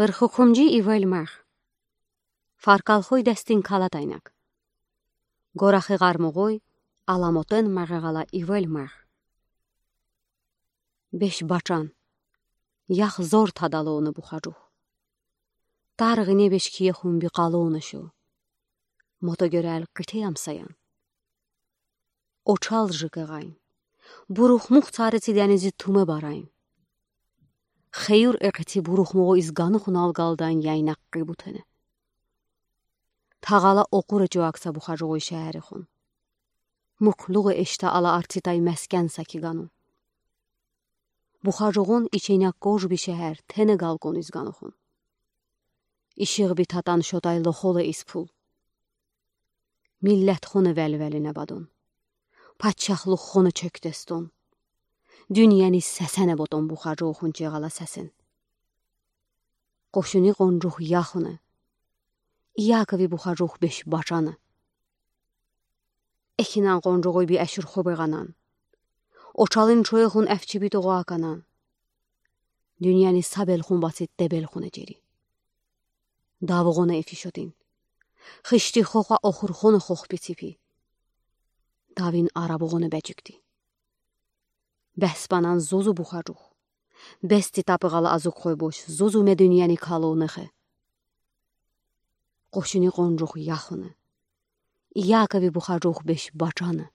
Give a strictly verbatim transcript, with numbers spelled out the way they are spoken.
Пырхукумджи ивел мех. Фаркалхуй дестин калатайнак. Горахы гармугуй аламотын мегегалла ивел мех. Беш бачан. Ях зор тадалуна бухаджух. Таргъине беш киехун бикалуна шу. Мото гёрел къите ямсаян. Очал жикъегъайн. Бурухмух царици денизи тумэ барайн. Хеюр экъити бурухмугъу из ганухун алгалдайн яйнакъ къибутене. Тагъала окъура чуакса бухаджугъуй шаерихун. Муклугъу эшта ала артитай мескен саки гану. Бухаджугъун иченя кожби шаер тене галкун из ганухун. Ишигъби татан шотай лохоле из пул. Миллетхуна велвелине бадун. Паччахлуххуна чекдестун. Дунияни сесене ботун бухаджугъун чегъала сесен. Къошуни къунджух яхуна. Иакови бухаджух беш бачана. Эхинан къунджугъуй би эшюр хубегъанан. Очалын чуехун эфчи би тогъаканан. Дунияни сабелхун басит тебелхуна джери. Давгъуна эфишотин. Хышти хохъа охурхуна хохпи ципи. Давин арабугъуна бечикти. Беспанан зузу бухаджух. Бести тапыгъала азук хойбуш зузу ме дунияни калунехе. Къошуни къунджух яхуна. Иакови бухаджух беш бачана.